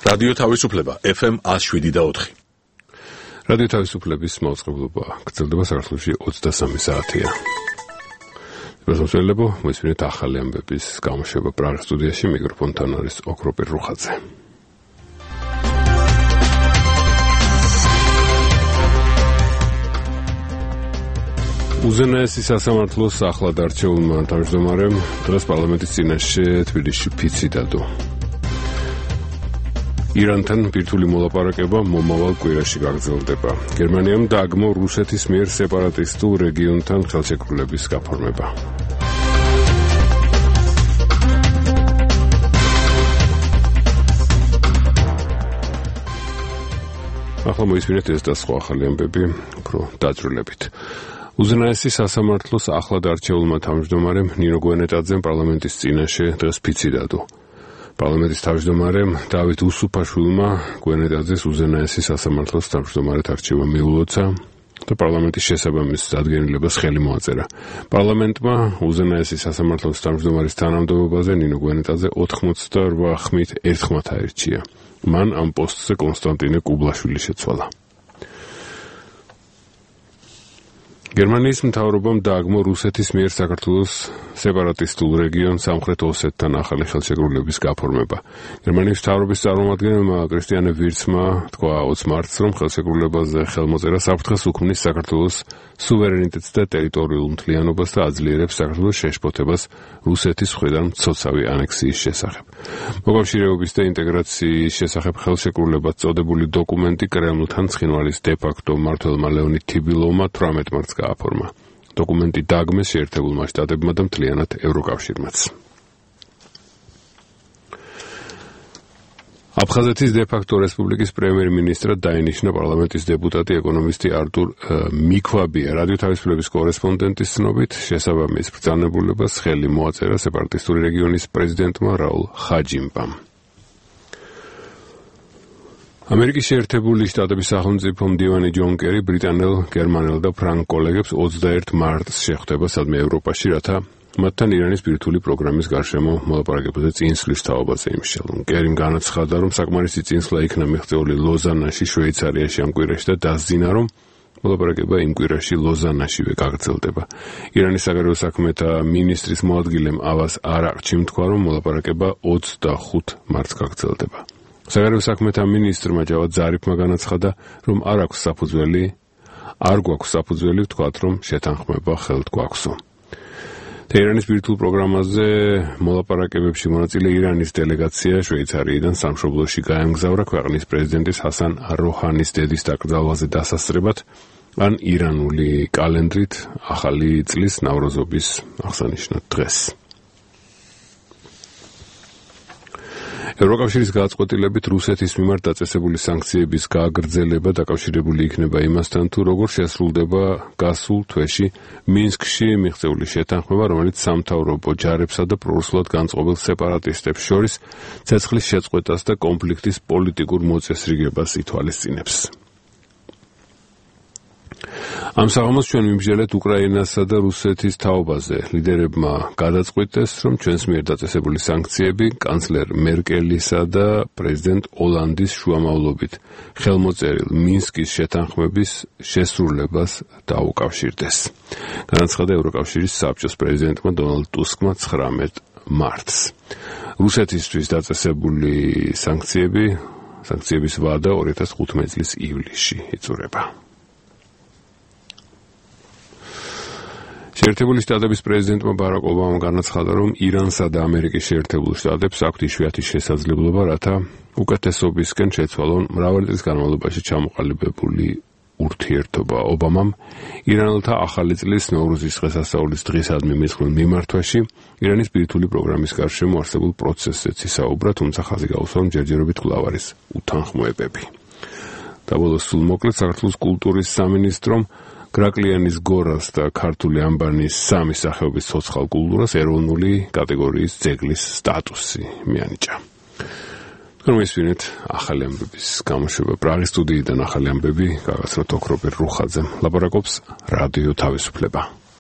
რადიო თავისუფლება FM 107.4. რადიო თავისუფლების მოწყობილობა გრძელდება საქართველოში 23 საათია. მოსწავლეებო, მოისმინეთ ახალი ამბების გამოშვება პრაღის სტუდიაში, მიკროფონთან არის ოქროპირ რუხაძე. უზენაესი სასამართლოს ახლად არჩეულმა თავმჯდომარემ დღეს პარლამენტის წინაშე თბილისში ფიცი დადო. ირანთან ბირთვული მოლაპარაკება მომავალ კვირაში გაგრძელდება. გერმანიამ დააგმო რუსეთის მიერ სეპარატისტულ რეგიონთან ხელშეკრულების გაფორმება. ახლა მოისმინეთ ეს და სხვა ახალი ამბები უფრო დაძრულებით. უზენაესი სასამართლოს ახლად არჩეულმა თავმჯდომარემ ნინო გვენეტაძემ პარლამენტის წინაშე დღეს ფიცი დადო. პარლამენტის თავმჯდომარემ დავით უსუფაშვილმა გვენეტაძეს უზენაესი სასამართლოს თავმჯდომარედ არჩევა მიულოცა და პარლამენტის შესაბამის დადგენილებას ხელი მოაწერა. პარლამენტმა უზენაესი სასამართლოს თავმჯდომარის თანამდებობაზე ნინო გვენეტაძე 88 ხმით ერთხმად აირჩია. მან ამ პოსტზე კონსტანტინე კუბლაშვილი შეცვალა. გერმანიის მთავრობამ დააგმო რუსეთის მიერ საქართველოს სეპარატისტულ რეგიონ სამხრეთ ოსეთთან ახალი ხელშეკრულების გაფორმება. გერმანიის მთავრობის წარმომადგენელმა კრისტიანე ვირცმა თქვა 20 მარტს, რომ ხელშეკრულებაზე ხელმოწერა საფრთხეს უქმნის საქართველოს სუვერენიტეტს და ტერიტორიულ მთლიანობას და აძლიერებს საქართველოს შეშფოთებას რუსეთის მხრიდან მცოცავი ანექსიის შესახებ. მოკავშირეობის და ინტეგრაციის შესახებ ხელშეკრულებად წოდებული დოკუმენტი კრემლთან ცხინვალის დე-ფაქტო მმართველმა ლეონიდ თიბილოვმა 18 მარტს გააფორმა. დოკუმენტი დააგმეს შეერთებულმა შტატებმა და მთლიანად ევროკავშირმაც. აფხაზეთის დე-ფაქტო რესპუბლიკის პრემიერ-მინისტრად დაინიშნა პარლამენტის დეპუტატი ეკონომისტი არტურ მიქვაბია. რადიო თავისუფლების კორესპონდენტის ცნობით, შესაბამის ბრძანებულებას ხელი მოაწერა სეპარატისტული რეგიონის პრეზიდენტმა რაულ ხაჯიმბამ. ამერიკის შეერთებული შტატების სახელმწიფო მდივანი ჯონ კერი ბრიტანელ, გერმანელ და ფრანგ კოლეგებს 21 მარტს შეხვდება სადმე ევროპაში, რათა მათთან ირანის ბირთვული პროგრამის გარშემო მოლაპარაკებაზე წინსვლის თაობაზე იმსჯელონ. კერიმ განაცხადა, რომ საკმარისი წინსვლა იქნა მიღწეული ლოზანაში, შვეიცარიაში ამ კვირაში და დასძინა, რომ მოლაპარაკება იმ კვირაში ლოზანაშივე გაგრძელდება. ირანის საგარეო საქმეთა მინისტრის მოადგილემ ავას არაყჩიმ თქვა, რომ მოლაპარაკება 25 მარტს გაგრძელდება. საგარეო საქმეთა მინისტრმა ჯავად ზარიფმა განაცხადა, რომ არ გვაქვს საფუძველი ვთქვათ, რომ შეთანხმება ხელთ გვაქვსო. თეირანის ბირთვულ პროგრამაზე მოლაპარაკებებში მონაწილე ირანის დელეგაცია შვეიცარიიდან სამშობლოში გაემგზავრა ქვეყნის პრეზიდენტის ჰასან როჰანის დედის დაკრძალვაზე დასასწრებად, ან ირანული კალენდრით ახალი წლის ნავროზობის აღსანიშნად დღეს. ევროკავშირის გადაწყვეტილებით რუსეთის მიმართ დაწესებული სანქციების გააგრძელება დაკავშირებული იქნება იმასთან, თუ როგორ შესრულდება გასულ თვეში მინსკში მიღწეული შეთანხმება, რომელიც სამთავრობო ჯარებსა და პრორუსულად განწყობილ სეპარატისტებს შორის ცეცხლის შეწყვეტას და კონფლიქტის პოლიტიკურ მოწესრიგებას ითვალისწინებს. ამ საღამოს ჩვენ ვიმსჯელეთ უკრაინასა და რუსეთის თაობაზე. ლიდერებმა გადაწყვიტეს, რომ ჩვენს მიერ დაწესებული სანქციები კანცლერ მერკელისა და პრეზიდენტ ოლანდის შუამავლობით ხელმოწერილ მინსკის შეთანხმების შესრულებას დაუკავშირდეს. განაცხადა ევროკავშირის საბჭოს პრეზიდენტმა დონალდ ტუსკმა 19 მარტს. რუსეთისთვის დაწესებული სანქციების ვადა 2015 წლის ივლისში იწურება. შეერთებული შტატების პრეზიდენტმა ბარაკ ობამამ განაცხადა, რომ ირანსა და ამერიკის შეერთებულ შტატებს აქვთ იშვიათი შესაძლებლობა, რათა უკეთესობისკენ შეცვალონ მრავალი წლის განმავლობაში ჩამოყალიბებული ურთიერთობა. ობამამ ირანელთა ახალი წლის ნოვრუზის დღესასწაულის დღისადმი მისხმულ მიმართვაში ირანის ბირთვული პროგრამის გარშემო არსებულ პროცესზეც ისაუბრა, თუმცა ხაზი გაუსვა, რომ ჯერჯერობით კვლავ არის უთანხმოებები. და ბოლოს სულ მოკლედ საქართველოს კულტურის სამინისტრომ გრაკლიანის გორას და ქართული ამბანის სამი სახეობის ცოცხალ კულტურას ეროვნული კატეგორიის ძეგლის სტატუსი მიანიჭა. Romesvinet ახალი ამბების გამოშვება პრაღის სტუდიიდან ახალი ამბები გაგაცნოთ ოქროპირ რუხაძემ. ლაპარაკობს რადიო თავისუფლება.